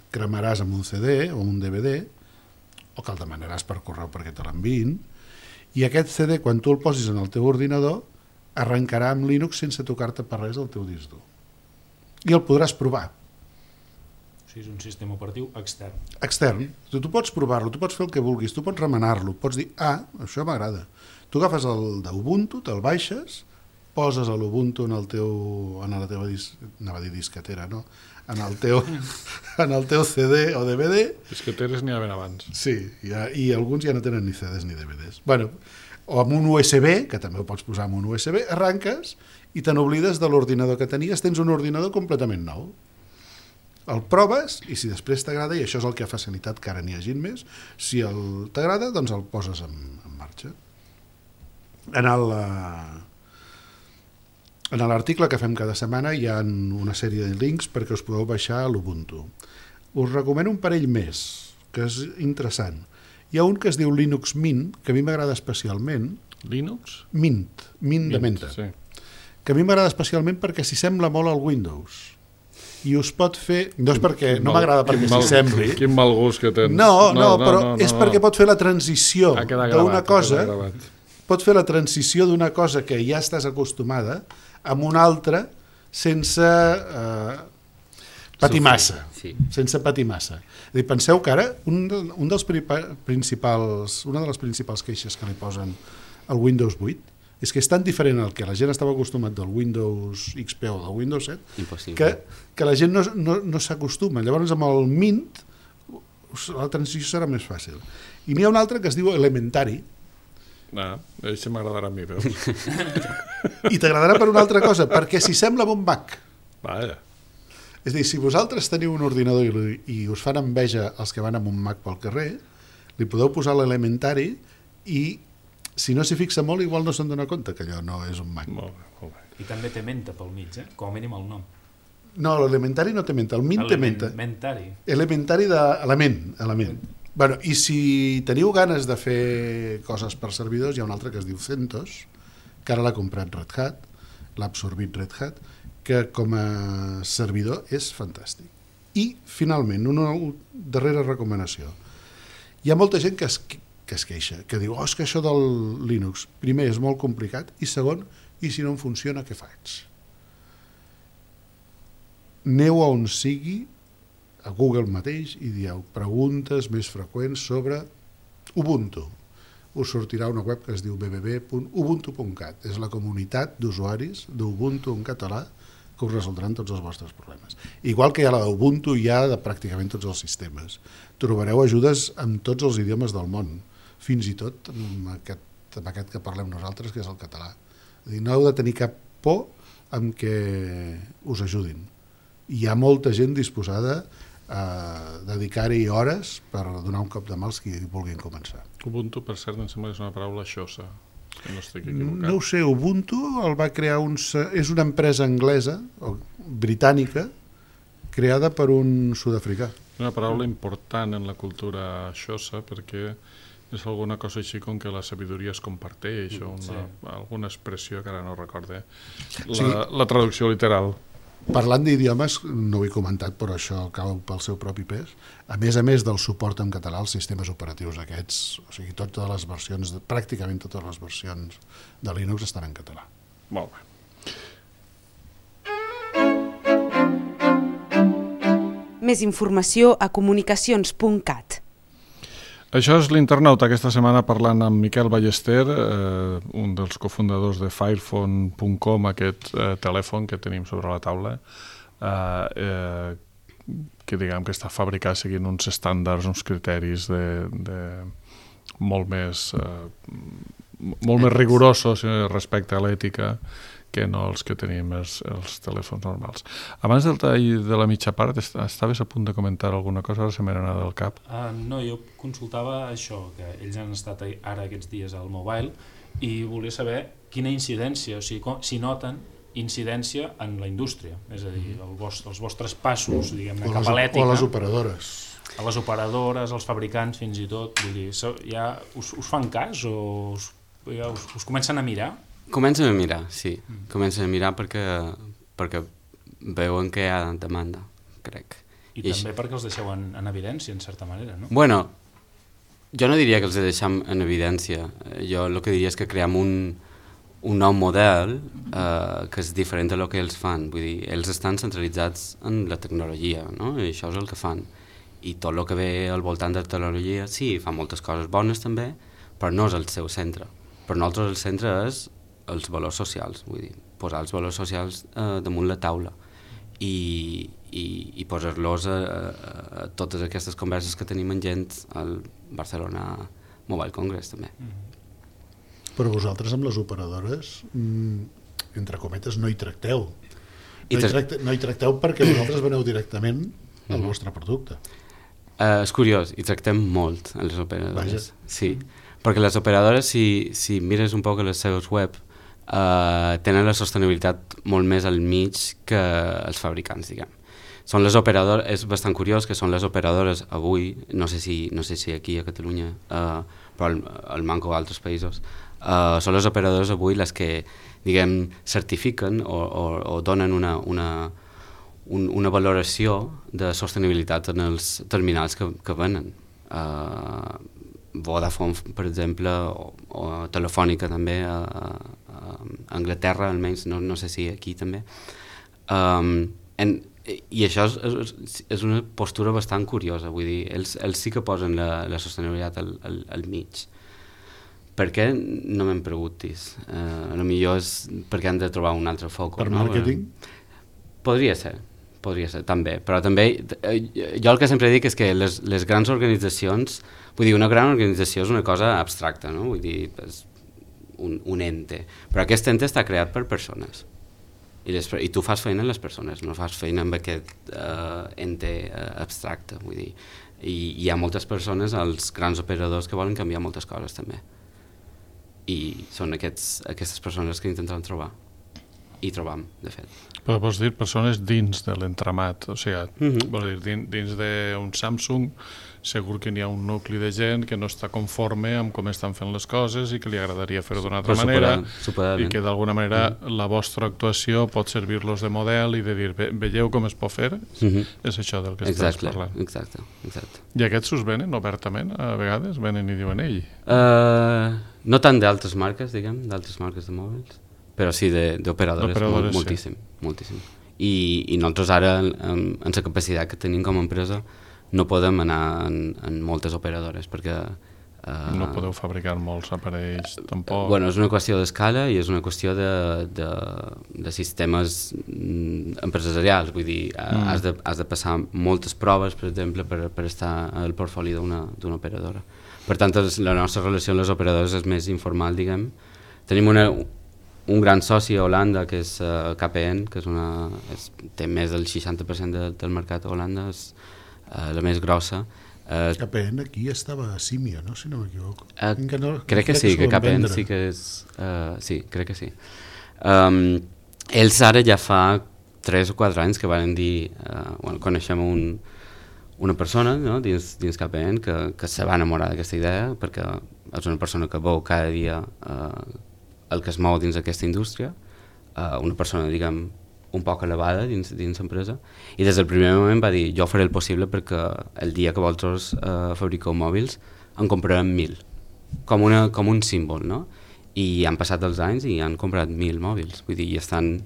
cremaràs amb un CD o un DVD o que el demanaràs per correu perquè te l'enviïn, i aquest CD, quan tu el posis en el teu ordinador, arrencarà amb Linux sense tocar-te per res el teu disc dur. I el podràs provar. O sigui, és un sistema operatiu extern. Extern. Tu pots provar-lo, tu pots fer el que vulguis, tu pots remenar-lo, pots dir, això m'agrada. Tu agafes el d'Ubuntu, te'l baixes, poses l'Ubuntu en la teva disquetera, no? En el teu CD o DVD. Disqueteres n'hi havia abans. Sí, i alguns ja no tenen ni CDs ni DVDs. Bueno, o amb un USB, que també ho pots posar amb un USB, arranques i te n'oblides de l'ordinador que tenies, tens un ordinador completament nou. El proves i si després t'agrada, i això és el que ha facilitat que ara n'hi hagi més, si t'agrada, doncs el poses en marxa. En l'article que fem cada setmana hi ha una sèrie de links perquè us podeu baixar a l'Ubuntu. Us recomano un parell més, que és interessant. Hi ha un que es diu Linux Mint, que a mi m'agrada especialment. Linux? Mint de menta. Sí. Que a mi m'agrada especialment perquè s'hi sembla molt al Windows. i us pot fer... No és perquè... No m'agrada perquè s'hi sembli. Quin mal gust que tens. No, però és perquè pot fer la transició d'una cosa... Pot fer la transició d'una cosa que ja estàs acostumada amb una altra sense patir massa. Sense patir massa. Penseu que ara una de les principals queixes que li posen al Windows 8 és que és tan diferent el que la gent estava acostumat del Windows XP o del Windows 7 que la gent no s'acostuma. Llavors amb el Mint la transició serà més fàcil. I n'hi ha un altre que es diu Elementary. Això m'agradarà a mi, veus? I t'agradarà per una altra cosa, perquè s'hi sembla a un Mac. Vaja. És a dir, si vosaltres teniu un ordinador i us fan enveja els que van amb un Mac pel carrer, li podeu posar l'Elementary i si no s'hi fixa molt, igual no se'n dona compte que allò no és un Mac. Molt bé. I també té menta pel mig, com a mínim el nom. No, l'Elementary no té menta, el Mint té menta. Elementary d'element. Bueno, i si teniu ganes de fer coses per servidors, hi ha un altre que es diu CentOS, que ara l'ha comprat Red Hat, l'ha absorbit Red Hat, que com a servidor és fantàstic. I, finalment, una darrera recomanació. Hi ha molta gent que es queixa, que diu, és que això del Linux, primer, és molt complicat, i segon, i si no em funciona, què faig? Aneu a on sigui, a Google mateix, i dieu preguntes més freqüents sobre Ubuntu. Us sortirà una web que es diu www.ubuntu.cat. És la comunitat d'usuaris d'Ubuntu en català que us resoldran tots els vostres problemes. Igual que hi ha la d'Ubuntu, hi ha de pràcticament tots els sistemes. Trobareu ajudes en tots els idiomes del món, fins i tot amb aquest que parlem nosaltres, que és el català. No heu de tenir cap por amb què us ajudin. Hi ha molta gent disposada a dedicar-hi hores per donar un cop de mà als que vulguin començar. Ubuntu, per cert, em sembla que és una paraula xosa. No estic equivocat. No ho sé, Ubuntu el va crear és una empresa anglesa o britànica creada per un sud-africà. Una paraula important en la cultura xosa perquè és alguna cosa així com que la sabidoria es comparteix o alguna expressió que ara no recorde la traducció literal. Parlant d'idiomes, no ho he comentat, però això cau pel seu propi pes. A més del suport en català als sistemes operatius aquests, o sigui, totes les versions, pràcticament totes les versions de Linux estan en català. Molt bé. Més informació a comunicacions.cat. Això és l'Internauta, aquesta setmana parlant amb Miquel Ballester, un dels cofundadors de Firephone.com, aquest telèfon que tenim sobre la taula, que diguem que està fabricat seguint uns estàndards, uns criteris molt més rigorosos respecte a l'ètica que no els que tenim els telèfons normals. Abans del tall de la mitja part, estaves a punt de comentar alguna cosa, ara se m'ha anat del cap. No, jo consultava això, que ells han estat ara aquests dies al Mobile i volia saber quina incidència, o sigui, si noten incidència en la indústria, és a dir, els vostres passos, diguem-ne, cap a l'ètica. O a les operadores. A les operadores, als fabricants, fins i tot. Vull dir, ja us fan cas o us comencen a mirar? Comencen a mirar, sí. Comencen a mirar perquè veuen que hi ha demanda, crec. I també perquè els deixeu en evidència, en certa manera, no? Bueno, jo no diria que els deixem en evidència. Jo el que diria és que creem un nou model que és diferent del que ells fan. Vull dir, ells estan centralitzats en la tecnologia, no? I això és el que fan. I tot el que ve al voltant de la tecnologia, sí, fa moltes coses bones també, però no és el seu centre. Per nosaltres el centre és els valors socials, vull dir, posar els valors socials damunt la taula i posar-los a totes aquestes converses que tenim amb gent al Barcelona Mobile Congress també. Però vosaltres amb les operadores, entre cometes, no hi tracteu. No hi tracteu perquè vosaltres veneu directament al vostre producte. És curiós, hi tractem molt a les operadores. Sí, perquè les operadores, si mires un poc a les seves web, tenen la sostenibilitat molt més al mig que els fabricants, diguem. Són les operadores, és bastant curiós que són les operadores avui, no sé si aquí a Catalunya, però al Manco o altres països, són les operadores avui les que, diguem, certifiquen o donen una valoració de sostenibilitat en els terminals que venen. Vodafone, per exemple, o Telefònica també, a Anglaterra almenys, no sé si aquí també. I això és una postura bastant curiosa, vull dir, ells sí que posen la sostenibilitat al mig. Per què? No me'n preguntis. Potser és perquè han de trobar un altre foc. Per màrqueting? Podria ser també, però també jo el que sempre dic és que les grans organitzacions, vull dir, una gran organització és una cosa abstracta, no? Vull dir, és un ente, però aquest ente està creat per persones i tu fas feina en les persones, no fas feina amb aquest ente abstracte, vull dir, i hi ha moltes persones, els grans operadors que volen canviar moltes coses també, i són aquestes persones que intenten trobar i trobam, de fet. Però vols dir persones dins de l'entramat, o sigui, vols dir, dins d'un Samsung segur que n'hi ha un nucli de gent que no està conforme amb com estan fent les coses i que li agradaria fer-ho d'una altra manera i que d'alguna manera la vostra actuació pot servir-los de model i de dir, veieu com es pot fer? És això del que estàs parlant. Exacte. I aquests us venen obertament? A vegades venen i diuen ell? No tant d'altres marques, diguem, d'altres marques de mòbils, però sí d'operadores, moltíssim. I nosaltres ara, amb la capacitat que tenim com a empresa, no podem anar en moltes operadores perquè... No podeu fabricar molts aparells, tampoc? Bueno, és una qüestió d'escala i és una qüestió de sistemes empresarials, vull dir, has de passar moltes proves, per exemple, per estar al portfoli d'una operadora. Per tant, la nostra relació amb les operadores és més informal, diguem. Tenim un gran soci a Holanda, que és KPN, que té més del 60% del mercat a Holanda, és la més grossa. KPN aquí estava a Simio, no? Si no m'equivoco. Crec que sí, que KPN sí que és... Sí, crec que sí. Ells ara ja fa 3 o 4 anys que van dir... coneixem una persona, no? dins KPN que se va enamorar d'aquesta idea perquè és una persona que veu cada dia el que es mou dins d'aquesta indústria, una persona, diguem, un poc elevada dins l'empresa, i des del primer moment va dir, jo faré el possible perquè el dia que vosaltres fabriqueu mòbils en comprarem 1.000, com un símbol, no? I han passat els anys i han comprat 1.000 mòbils, vull dir, i estan...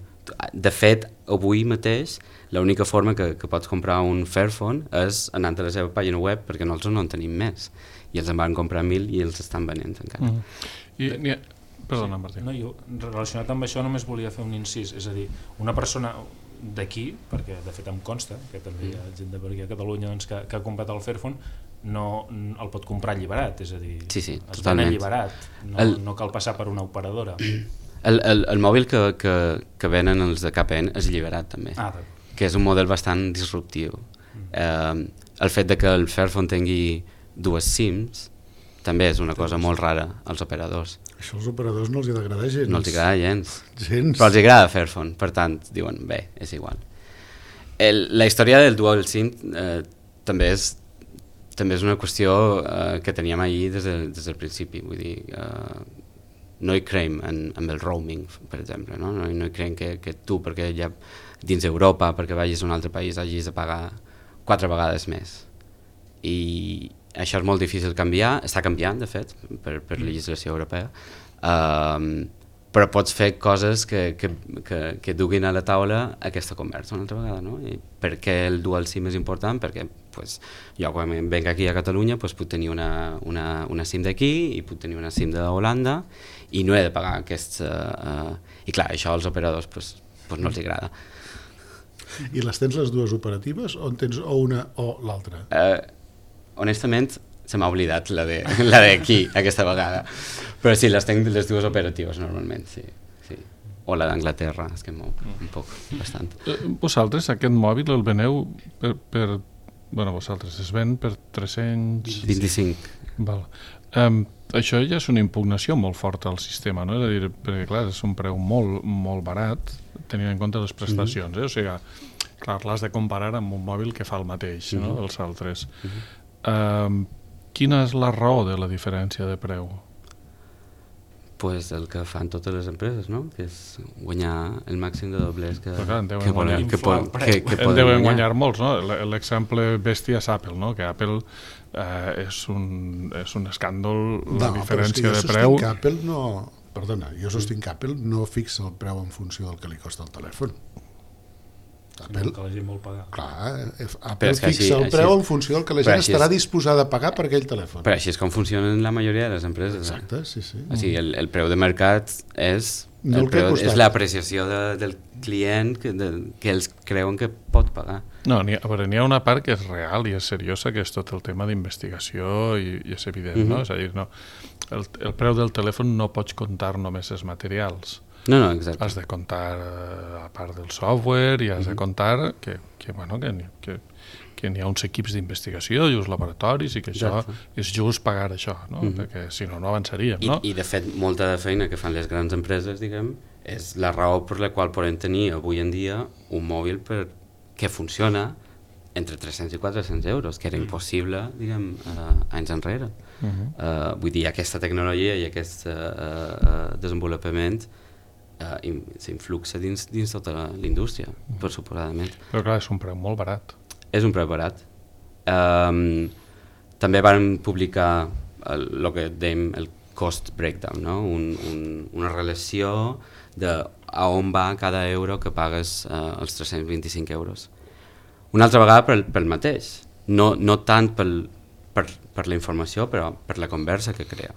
De fet, avui mateix, l'única forma que pots comprar un Fairphone és anant a la seva pàgina web, perquè nosaltres no en tenim més, i els en van comprar 1.000 i els estan venent encara. Perdona, Martí. No, jo, relacionat amb això, només volia fer un incís, és a dir, una persona d'aquí, perquè de fet em consta que també hi ha gent per aquí a Catalunya doncs, que ha comprat el Fairphone, no el pot comprar alliberat, és a dir, es ven alliberat, no cal passar per una operadora. El mòbil que venen els de KPN és alliberat també, que és un model bastant disruptiu. El fet de que el Fairphone tingui 2 SIMs també és una cosa molt rara als operadors. Això als operadors no els agrada gens. No els agrada gens. Però els agrada Fairphone, per tant, diuen, bé, és igual. La història del Dual SIM també és una qüestió que teníem ahir des del principi, vull dir, no hi creiem amb el roaming, per exemple, no hi creiem que tu, perquè ja dins Europa, perquè vagis a un altre país, hagis de pagar 4 vegades més. I això és molt difícil canviar, està canviant de fet per legislació europea, però pots fer coses que duguin a la taula aquesta conversa una altra vegada, no? I per què el dual SIM és important? Perquè jo quan venc aquí a Catalunya puc tenir una SIM d'aquí i puc tenir una SIM d'Holanda i no he de pagar aquests... I clar, això als operadors no els agrada. I les tens les dues operatives o en tens o una o l'altra? Honestament, se m'ha oblidat la d'aquí, aquesta vegada. Però sí, les tenc les dues operatives normalment, sí. O la d'Anglaterra, és que mou un poc, bastant. Vosaltres, aquest mòbil el veneu per vosaltres es ven per 325. Val. Això ja és una impugnació molt forta al sistema, no? És a dir, perquè clar, és un preu molt, molt barat, tenint en compte les prestacions, O sigui, clar, l'has de comparar amb un mòbil que fa el mateix, no?, dels altres. Uh-huh. Quina és la raó de la diferència de preu? Pues el que fan totes les empreses, no? Que és guanyar el màxim de doblers que deuen guanyar molts, no? L'exemple bèstia és Apple, no? Que Apple és un escàndol la diferència de preu. Apple no... Perdona, jo sostinc que Apple no fixa el preu en funció del que li costa el telèfon. Apple, que la gent vol pagar. Clar, Apple fixa el preu en funció del que la gent estarà disposada a pagar per aquell telèfon. Però així és com funcionen la majoria de les empreses. Exacte, sí. O sigui, el preu de mercat és l'apreciació del client que ells creuen que pot pagar. No, n'hi ha una part que és real i és seriosa, que és tot el tema d'investigació i és evident, no? És a dir, el preu del telèfon no pots comptar només els materials. No, exacte. Has de comptar a part del software i has de comptar que n'hi ha uns equips d'investigació i uns laboratoris i que això és just pagar això, no? Perquè si no, no avançaríem, no? I de fet, molta de feina que fan les grans empreses, diguem, és la raó per la qual podem tenir avui en dia un mòbil que funciona entre 300 i 400 euros, que era impossible, diguem, anys enrere. Vull dir, aquesta tecnologia i aquest desenvolupament s'influxa dins tota l'indústria, per suposadament. Però clar, és un preu molt barat. És un preu barat. També van publicar el que dèiem el cost breakdown, no? Una relació de a on va cada euro que pagues els 325 euros. Una altra vegada pel mateix, no tant per la informació, però per la conversa que crea.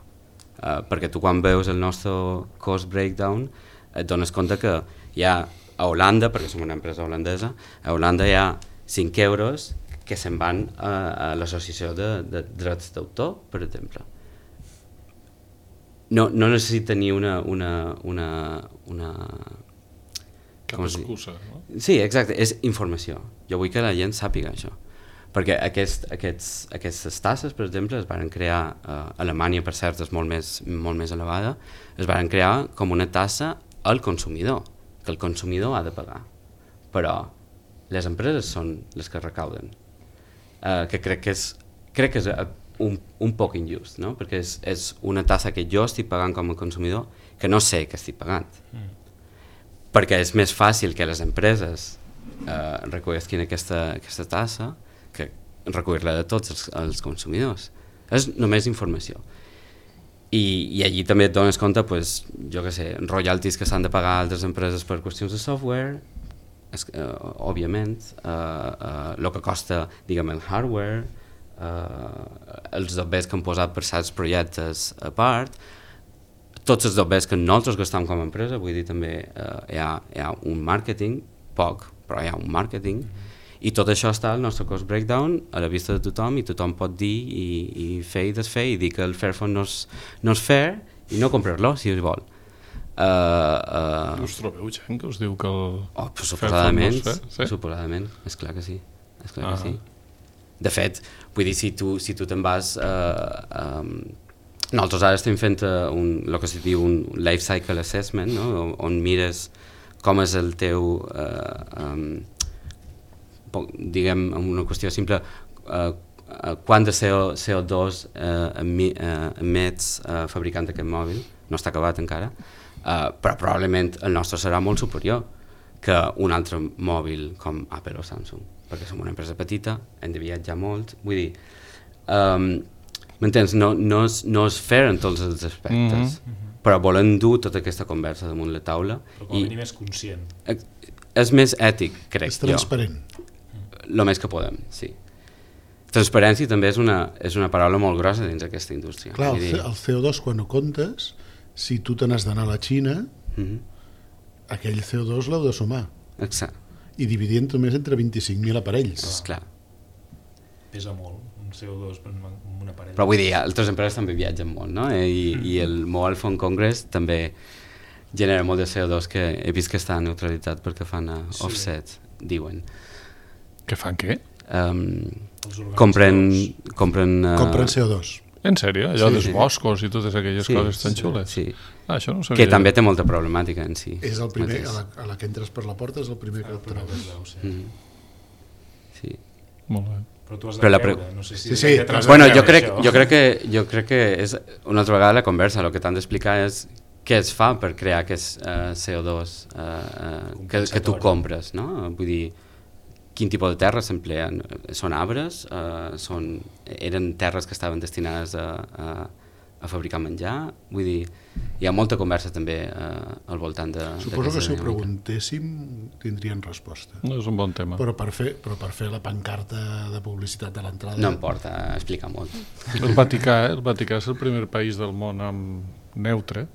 Perquè tu quan veus el nostre cost breakdown et dones compte que hi ha a Holanda, perquè som una empresa holandesa, a Holanda hi ha 5 euros que se'n van a l'associació de drets d'autor, per exemple. No necessita tenir una cap excusa, no? Sí, exacte, és informació. Jo vull que la gent sàpiga això. Perquè aquestes tasses, per exemple, es van crear a Alemanya, per cert, és molt més elevada, es van crear com una tassa al consumidor, que el consumidor ha de pagar. Però les empreses són les que recauden. Que crec que és un poc injust, no? Perquè és una tassa que jo estic pagant com a consumidor que no sé que estic pagant. Perquè és més fàcil que les empreses recollisquin aquesta tassa que recollir-la de tots els consumidors. És només informació. I allí també et dones compte, pues, jo què sé, royalties que s'han de pagar a altres empreses per qüestions de software, òbviament, el que costa, diguem, el hardware, els dobbers que han posat per certs projectes a part, tots els dobbers que nosaltres gastem com a empresa, vull dir, també hi ha un màrqueting, poc, però hi ha un màrqueting, i tot això està al nostre cost breakdown a la vista de tothom, i tothom pot dir i fer i desfer i dir que el Fairphone no és fair i no comprar-lo si es vol. Us trobeu gent que us diu que el Fairphone no és fair? Sí? Suposadament, esclar que sí. Que sí. De fet, vull dir, si tu te'n vas... nosaltres ara estem fent el que se diu un life cycle assessment, no? On mires com és el teu... diguem, una qüestió simple, quant de CO2 emets fabricant aquest mòbil, no està acabat encara, però probablement el nostre serà molt superior que un altre mòbil com Apple o Samsung, perquè som una empresa petita, hem de viatjar molt, vull dir, m'entens? No és fair en tots els aspectes, però volen dur tota aquesta conversa damunt la taula. Però com a mínim és conscient. És més ètic, crec jo. És transparent. El més que podem, sí. Transparència també és una paraula molt grossa dins aquesta indústria. Clar, el CO2 quan ho comptes, si tu te n'has d'anar a la Xina, aquell CO2 l'heu de sumar. Exacte. I dividir només entre 25.000 aparells. Esclar. Pesa molt, un CO2 per un aparell. Però vull dir, altres empreses també viatgen molt, no? I el Mobile Phone Congress també genera molt de CO2 que he vist que està neutralitzat perquè fan offset, diuen. Que fan què? Compren CO2. En sèrio? Allò dels boscos i totes aquelles coses tan xules? Sí. Això no ho sabia. Que també té molta problemàtica en si. És el primer, a la que entres per la porta és el primer que et trobes. Sí. Molt bé. Però tu has de creure, no sé si... Bueno, jo crec que és una altra vegada la conversa, el que t'han d'explicar és què es fa per crear aquest CO2 que tu compres, no? Vull dir, quin tipus de terres s'empleen? Són arbres? Eren terres que estaven destinades a fabricar menjar? Vull dir, hi ha molta conversa també al voltant de... Suposo que si ho preguntéssim tindrien resposta. No, és un bon tema. Però per fer la pancarta de publicitat de l'entrada... No em porta a explicar molt. El Vaticà és el primer país del món amb neutre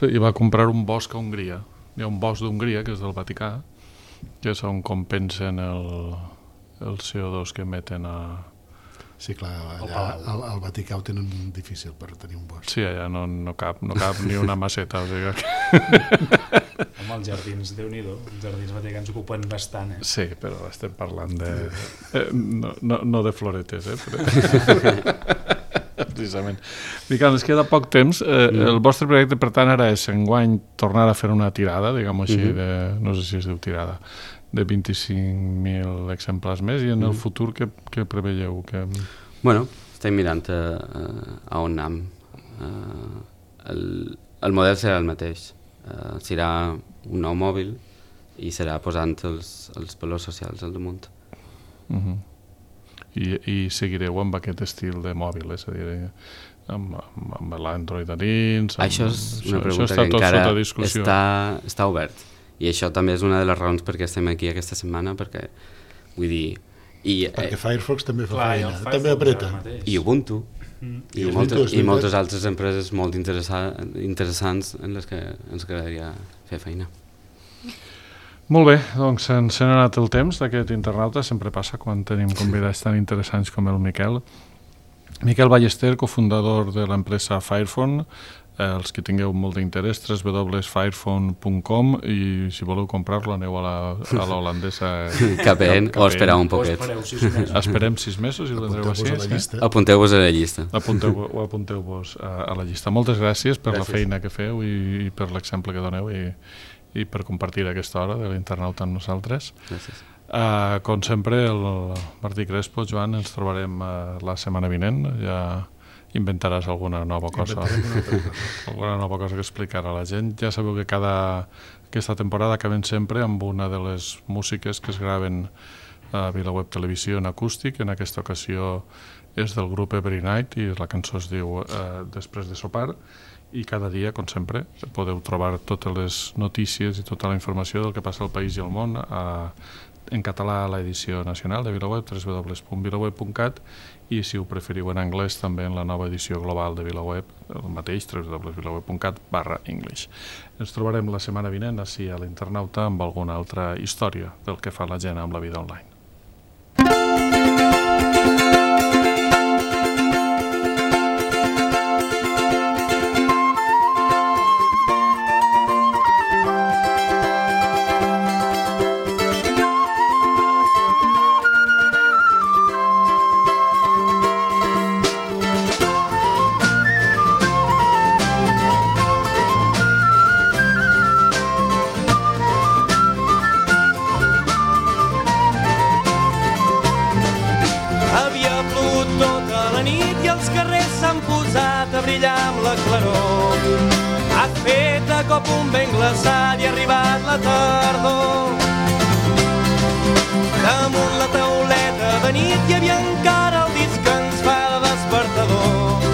i va comprar un bosc a Hongria. Hi ha un bosc d'Hongria, que és del Vaticà, que és on compensen el CO2 que emeten a... Sí, clar, allà al Vaticà ho tenen difícil per tenir un bosc. Sí, allà no cap ni una maceta. O sigui Home, els jardins, Déu-n'hi-do, els jardins vaticans ocupen bastant, Sí, però estem parlant de... no de floretes, precisament. Miquel, ens queda poc temps. El vostre projecte, per tant, ara és enguany tornar a fer una tirada, diguem-ho així, no sé si es diu tirada, de 25.000 exemplars més, i en el futur què preveieu? Bueno, estem mirant a on anem. El model serà el mateix. Serà un nou mòbil i serà posant els valors socials al damunt. I seguireu amb aquest estil de mòbil, és a dir, amb l'Android a dins... Això és una pregunta que encara està obert. I això també és una de les raons perquè estem aquí aquesta setmana, perquè, vull dir... Perquè Firefox també fa feina, també apreta. I Ubuntu, i moltes altres empreses molt interessants en les que ens agradaria fer feina. Molt bé, doncs ens n'ha anat el temps d'aquest internauta, sempre passa quan tenim convidats tan interessants com el Miquel. Miquel Ballester, cofundador de l'empresa Firephone. Els que tingueu molt d'interès, www.firephone.com, i si voleu comprar-lo aneu a l'holandesa KPN o espereu un poquet. Esperem 6 mesos i ho tindreu així. Apunteu-vos a la llista. Apunteu-vos a la llista. Moltes gràcies per la feina que feu i per l'exemple que doneu i per compartir aquesta hora de l'internauta amb nosaltres. Gràcies. Com sempre, el Martí Crespo, Joan, ens trobarem la setmana vinent. Ja inventaràs alguna nova cosa que explicar a la gent. Ja sabeu que aquesta temporada acabem sempre amb una de les músiques que es graven a VilaWeb Televisió en acústic. En aquesta ocasió és del grup Every Night i la cançó es diu Després de sopar, i cada dia, com sempre, podeu trobar totes les notícies i tota la informació del que passa al país i al món en català a l'edició nacional de VilaWeb, www.vilaweb.cat, i si ho preferiu en anglès també en la nova edició global de VilaWeb, el mateix, www.vilaweb.cat/English. Ens trobarem la setmana vinent així a l'Internauta amb alguna altra història del que fa la gent amb la vida online. Un vent glaçat i ha arribat la tardor. Damunt la tauleta de nit hi havia encara el disc que ens fa de despertador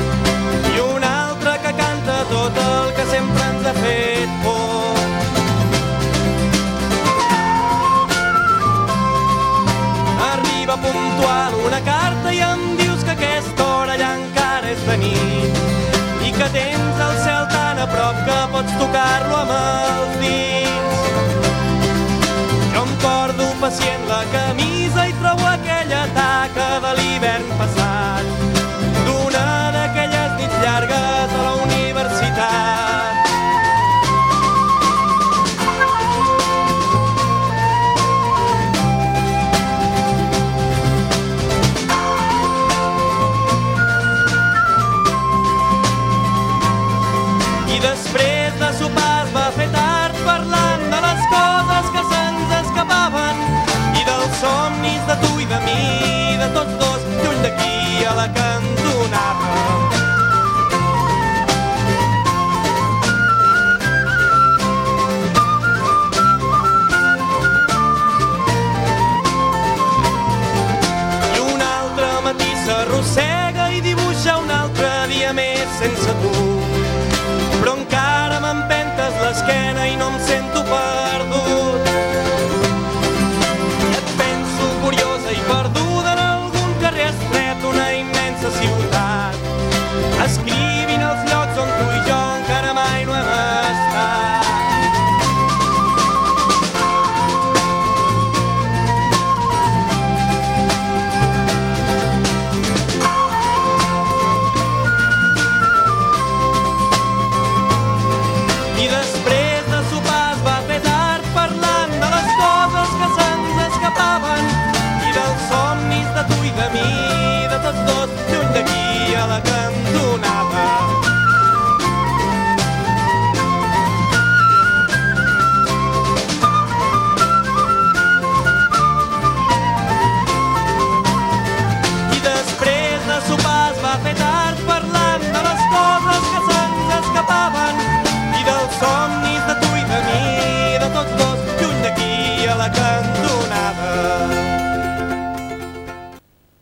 i un altre que canta tot el que sempre ens ha fet por. Arriba puntual una carta i em dius que aquesta hora ja encara és de nit i que tens el cel tan a prop que pots tocar-lo amb els dits. Jo em porto pacient la camisa i trobo aquella taca de l'hivern passat, d'una d'aquelles nits llargues a la universitat. I després de sopar es va fer tard s'arrossega